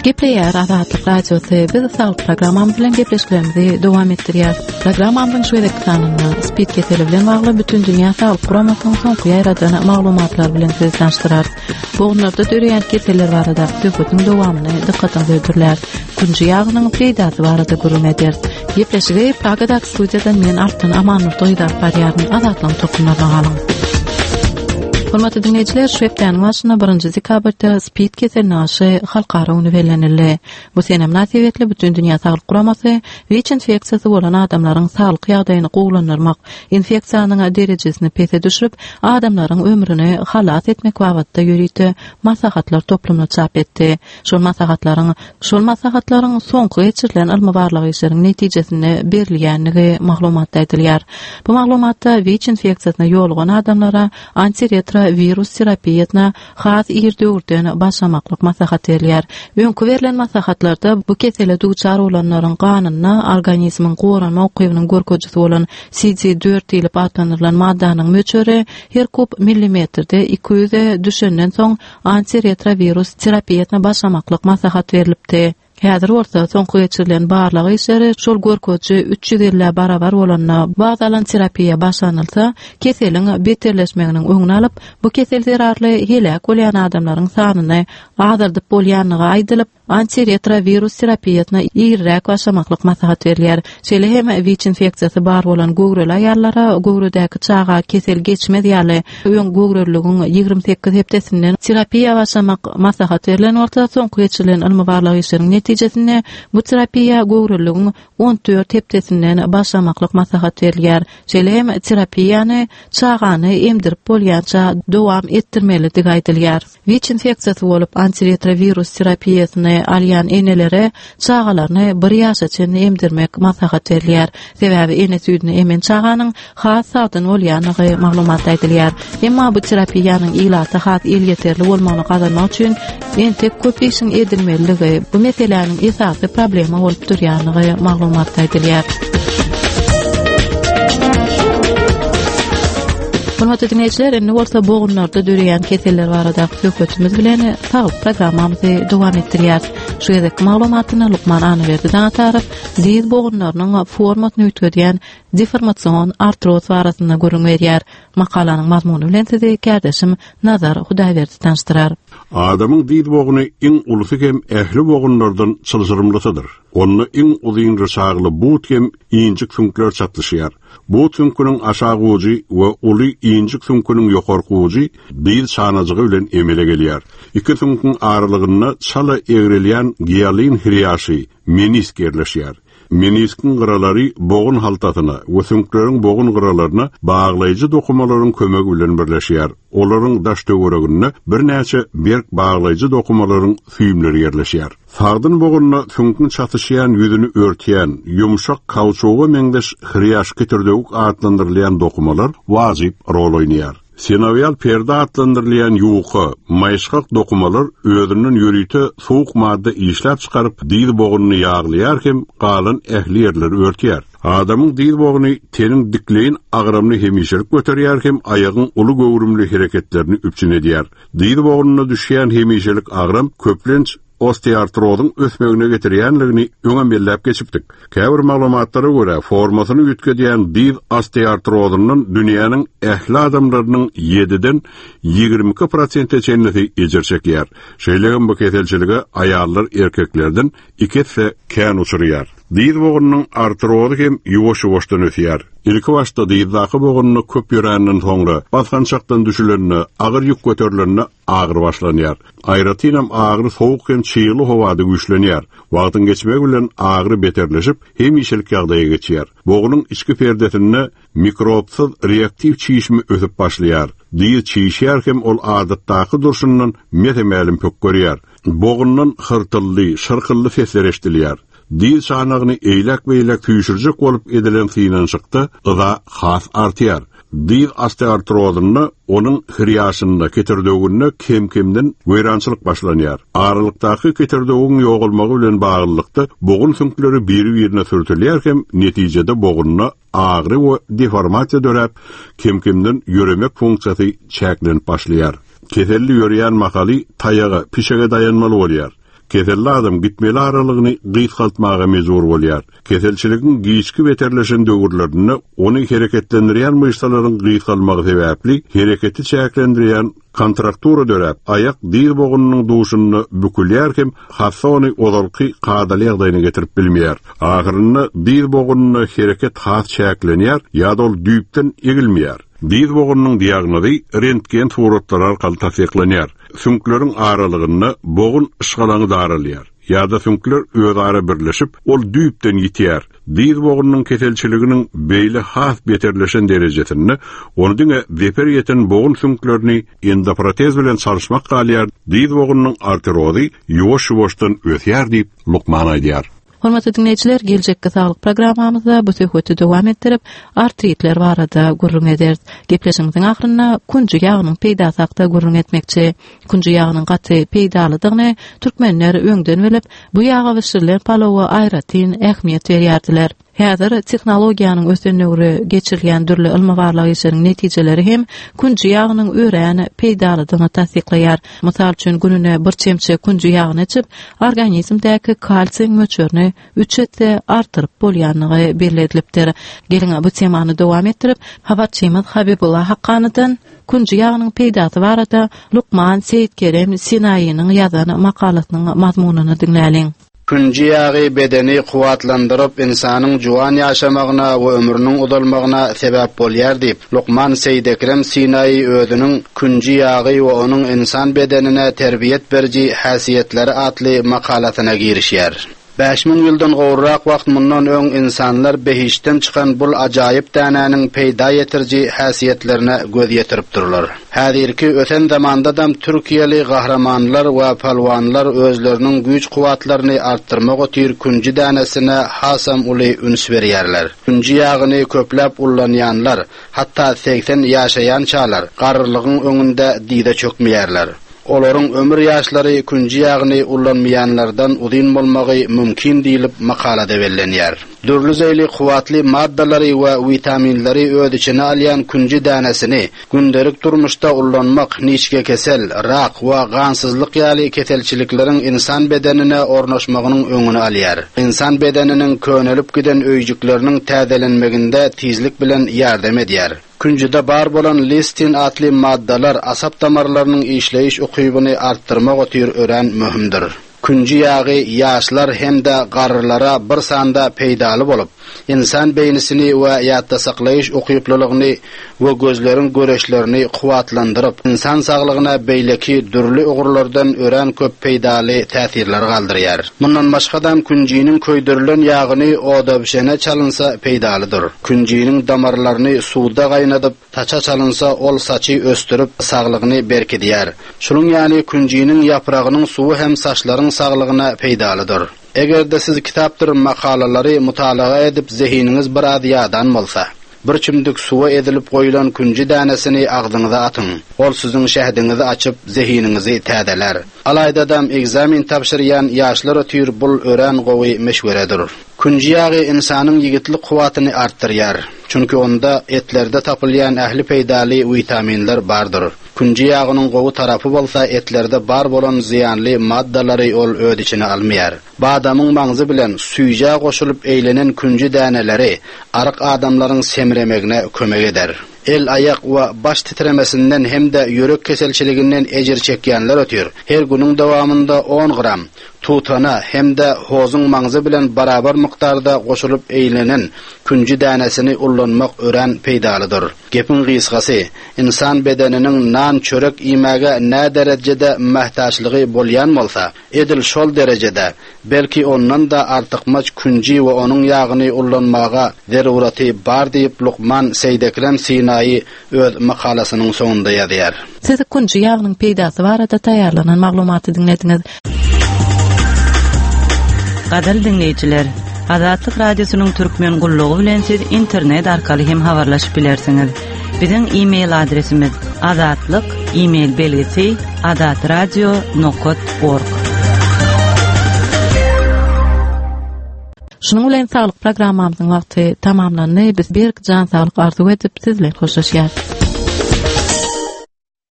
Gepleýär Azatlyk Radiosy. Biz saglyk programmamyz bilen gepleşiklerimizi dowam etdirýäris. Programmamyzyň şu gezekki sanynda SPID keseli bilen bagly Bütindünýä Saglyk Guramasynyň soňky ýaýradan maglumatlary bilen sizi tanyşdyrarys. Bogunlarda döreýän keseller baradaky söhbetiň dowamyny dykgatyňyza hödürläris. Künji ýagynyň peýdasy barada gürrüň ederis. Gepleşigi Pragadaky studiýadan men Altyn Amanurdy gyzy alyp barýaryn. Azatlygyň tolkunlaryna galyň. Hormatly diňleýjiler, şu hepdäniň başynda birinji dekabrda SPID keseline garşy halkara güni bellenildi. Bu sene mynasybetli Bütindünýä Saglyk Guramasy WIÇ infeksiýasy bolan adamlaryň saglyk ýagdaýyny gowulandyrmak, infeksiýanyň derejesini pese düşürip, adamlaryň ömrüni halas etmek babatda ýörite maslahatlar toplumyny çap etdi. Şol maslahatlaryň şol maslahatlaryň soňky geçirilen ylmy-barlag işleriň netijesinde berilýändigi maglumatda aýdylýar. Bu maglumatda WIÇ infeksiýasyna ýolugan adamlara antiretrowirus terapiýasyna has ir döwürden başlamaklyk maslahat berilýär. Öňki berlen maslahatlarda bu kesele duçar bolanlaryň ganynda organizmiň goranma ukybynyň görkezijisi bolan CD4 diýlip atlandyrylan maddanyň möçberi her kub millimetrde 200 e düşenden soň antiretrowirus terapiýasyna başlamaklyk maslahat berlipdi. Häzir bolsa, soňky geçirilen barlag işleri şol görkeziji 350-ä barabar bolanda wagt alan terapiýa başlanylsa, keseliň beterleşmeginiň öňüni alyp, bu kesel zerarly heläk bolýan adamlaryň sanyny azaldyp bolýandygy aýdylyp, antiretrowirus terapiýasyna irräk başlamaklyk maslahat berilýär. Şeýle hem WIÇ infeksiýasy bar bolan göwreli aýallara göwredäki çaga kesel geçmez ýaly öň göwreliligiň 28 hepdesinden terapiýa başlamak maslahat berlen bolsa, soňky geçirilen ylmy-barlag işleriň netijesinde bu terapiýa göwreliligiň 14 hepdesinden başlamaklyk maslahat berilýär. Şeýle hem terapiýany çagany emdirip bolýança dowam etdirmelidigi aýdylýar. WIÇ infeksiýasy bolup, antiretrowirus terapiýasyny alýan enelere çagalaryny bir ýaşa çenli emdirmek maslahat berilýär. Sebäbi ene süýdüni emen çaganyň has sagdyn bolýandygy maglumatda aýdylýar. Emma bu terapiýanyň ilata has elýeterli bolmagyny gazanmak üçin entek köp işiň edilmelidigi, bu meseläniň esasy problema bolup durýandygy maglumatda aýdylýar. Hormatly diňleýjiler, indi bolsa bogunlarda döreýän keseller baradaky söhbetimiz bilen saglyk programmamyzy dowam etdirýäris. Şu gezekki maglumatyny lukman Annaberdi Daňatarow dyz bogunlarynyň formasyny üýtgedýän deformasion artroz barasynda gürrüň berýär. Makalanyň mazmuny bilen sizi kärdeşim Nazar Hudaýberdi tanyşdyrar. Adamyň dyz bogny iň ulusy hem ähli bogunlardan çylşyrymlysydyr. Onda iň uzyn ryçagly but hem injik süňkler çatlyşýar. But süňküniň aşak ujy we uly injik süňküniň ýokarky ujy dyz çanajygy bilen emele gelýär. Iki süňküň aralygynda çala egrelýän gialin hrýaşy, menisk ýerleşýär. Meniskiň gyralary bogun haltasyna we süňkleriň bogun gyralaryna baglaýjy dokumalaryň kömegi bilen birleşýär. Olaryň daş-töwereginde birnäçe berk baglaýjy dokumalaryň süýümleri ýerleşýär. Sagdyn bogunda süňküň çatyşýan ýüzüni örtýän, ýumşak kauçuga meňzeş hrýaş-kitirdewük atlandyrylýan dokumalar wajyp rol oýnaýar. Sinowial perde atlandyrylýan ýuka, maýyşgak dokumalar özünden ýörite suwuk madda işläp çykaryp, dyz bogunyny ýaglaýar hem galan ähli ýerleri örtýär. Adamyň dyz bogny teniň dikleýin agramyny hemişelik göterýär hem aýagyň uly göwrümli hereketlerini üpjün edýär. Dyz bognuna düşýän hemişelik agram köplenç osteoartrozyň ösmegine getirýänligini öňem belläp geçipdik. Käbir maglumatlara görä, formasyny üýtgedýän dyz osteoartrozyndan dünýäniň ähli adamlarynyň ýediden 22 prosente çenlisi ejir çekýär. Şeýle hem bu keselçilige aýallar erkeklerden iki esse kän uçraýar. Dyz bognunyň artrozy hem ýuwaş-ýuwaşdan ösýär. Ilkibaşda dyzdaky bogunda köp ýöränden soňra, basgançakdan düşülende, agyr ýük göterilende agyry başlanýar. Aýratynam agyry sowuk hem çygly howada güýçlenýär. Wagtyň geçmegi bilen agyry beterleşip, hemişelik ýagdaýa geçýär. Bognuň içki perdesinde mikrobsyz reaktiw çişme ösüp başlaýar. Dyz çişýär hem ol adatdaky durşundan mese-mälim pökgerýär. Bogundan hyrtyldy, şyrkyldy sesler eşidilýär. Dyz çanagyny eýläk-beýläk süýşürjek bolup edilen synanyşykda yza has artýar. Dyz osteoartrozynda onuň hrýaşynda, ketirdewüginde kem-kemden weýrançylyk başlanýar. Aralykdaky ketirdewügiň ýogalmagy bilen baglylykda bogun süňkleri biri-birine sürtülýär hem netijede bogunda agyry we deformasiýa döräp, kem-kemden ýöremek funksiýasy çäklenip başlaýar. Keselli ýöreýän mahaly taýaga, pişege daýanmaly bolýar. Keselli adam gitmeli aralygyny gysgaltmaga mejbur bolýar. Keselçiligiň giçki beterleşen döwürlerinde ony hereketlendirýän myşsalaryň gysgalmagy sebäpli hereketi çäklendirýän kontraktura döräp, aýak dyz bogunynyň duşunda bükülýär hem hassa ony ozalky kadaly ýagdaýyna getirip bilmeýär. Ahyrynda dyz bogunynda hereket has çäklenýär ýa-da ol düýpden egilmeýär. Dyz bogunynyň diagnozy rentgen suratlary arkaly tassyklanýar. Süňkleriň aralygynda bogun yşgalaňy daralýar ýa-da süňkler özara birleşip, ol düýpden ýitýär. Dyz bogunynyň keselçiliginiň beýle has beterleşen derejesinde ony diňe zeper ýeten bogun süňklerini endoprotez bilen çalyşmak galýar, dyz bogunynyň arterozy ýuwaş-ýuwaşdan ösýär diýip, lukman aýdýar. Hormatly diňleýjiler, geljekki saglyk programmamyzda bu söhbeti dowam etdirip, artritler barada gürrüň ederis. Gepleşigimiziň ahyrynda künji ýagynyň peýdasy hakda gürrüň etmekçi. Künji ýagynyň gaty peýdalydygyny türkmenler öňden bilip, bu ýaga bişirilen palawa aýratyn ähmiýet berýärdiler. Häzir tehnologiýanyň ösen döwri geçirilýän dürli ylmy-barlag işleriň netijeleri hem künji ýagynyň örän peýdalydygyny tassyklaýar. Mysal üçin, gününe bir çemçe künji ýagyny içip, organizmdäki kalsiýiň möçberini üç esse artdyryp bolýandygy belli edilipdir. Geliň, bu temany dowam etdirip, habarçymyz Habibulla Hakkanydan künji ýagynyň peýdasy barada lukman Seýitkerem Sinaýynyň ýazan makalasynyň mazmunyny diňläliň. Künji ýagy bedeni kuwwatlandyryp, ynsanyň juwan ýaşamagyna we ömrüniň uzalmagyna sebäp bolýar diýip, lukman Seýidekrem Sinaýy özüniň Künji ýagy we onuň ynsan bedenine terbiýet beriji häsiýetleri atly makalasyna girişýär. 5000 ýyldan gowrak wagt mundan öň ynsanlar behiştden çykan bul ajaýyp dänäniň peýda ýetiriji häsiýetlerine göz ýetiripdirler. Häzirki ösen zamandadam türkiýeli gahrymanlar we palwanlar özleriniň güýç-kuwwatlaryny artdyrmak otyr künji dänesine hasam uly üns berýärler. Künji ýagyny köpläp ullanýanlar, hatda 80 ýaşaýançalar, garrylygyň öňünde dyza çökmeýärler. Olaryň ömür ýaşlary künji ýagyny ullanmaýanlardan uzyn bolmagy mümkin diýlip makalada bellenýär. Dürli zeýli kuwwatly maddalary we witaminleri öz içine alýan künji dänesini gündelik durmuşda ullanmak niçgekesel, rak we gansyzlyk ýaly keselçilikleriň ynsan bedenine ornaşmagynyň öňüni alýar. Ynsan bedeniniň könelip giden öýjükleriniň täzelenmeginde tizlik bilen ýardam edýär. Künjüde bar bolan listin atly maddalar asap damarlarynyň işleýiş ukybyny artdyrmak otyr örän möhümdir. Künji ýagy ýaşlar hem-de garrylara bir sanda peýdaly bolup, ynsan beýnisini we ýatdasaklaýyş ukyplylygyny we gözleriň göreçlerini kuwwatlandyryp, ynsan saglygyna beýleki dürli ugurlardan örän köp peýdaly täsirler galdyrýar. Mundan başgadam künjiniň köýdürilen ýagyny odabşene çalynsa peýdalydyr. Künjiniň damarlaryny suwda gaýnadyp, saça çalynsa, ol saçy ösdürip, saglygyny berkidýär. Şunuň ýaly künjiniň ýapragynyň suwy hem saçlaryň saglygyna peýdalydyr. Eger-de siz kitapdyr makalalary mutalaga edip zehiniňiz biraz ýadan bolsa, bir çümdük suwa ezilip goýlan künji dänesini agzyňyza atyň. Ol siziň şähdiňizi açyp, zehiniňizi täzelär. Alaýdadam ekzamen tabşyrýan ýaşlar otyr bul örän gowy meşweredir. Künji ýagy ynsanyň ýigitlik kuwwatyny artdyrýar. Çünki onda etlerde tapylýan ähli peýdaly witaminler bardyr. Künji ýagynyň gowy tarapy bolsa etlerde bar bolan zyýanly maddalary ol öz içine almaýar. Badamyň maňzy bilen süýjä goşulyp eýlenen künji däneleri aryk adamlaryň semremegine kömek eder. El-aýak we baş titremesinden hem-de ýürek keselçiliginden ejir çekýänler otyr. Her günüň dowamynda on gram tutana hem-de hozuň maňzy bilen barabar mukdarda goşulyp eýlenen künji dänesini ullanmak örän peýdalydyr. Gepiň gysgasy, ynsan bedeniniň nan-çörek iýmäge näderejede mähtäçligi bolýan bolsa, edil şol derejede, belki ondan-da artykmaç künji we onuň ýagyny ullanmaga zeruraty bar diýip lukman Seýdekrem Sinaýy öz makalasynyň soňunda ýazýar. Siz künji ýagynyň peýdasy barada taýýarlanan maglumaty diňlediňiz. Gadyrly diňleýjiler, Azatlyk Radiosynyň Türkmen gullugy bilen siz internet arkaly hem habarlaşyp bilersiňiz. Biziň e-mail adresimiz azatlyk e-mail belgisi azatradio nokat org. Şunuň bilen saglyk programmamyzyň wagty tamamlandy. Biz berk jan saglyk arzuw edip, siz bilen hoşlaşýarys.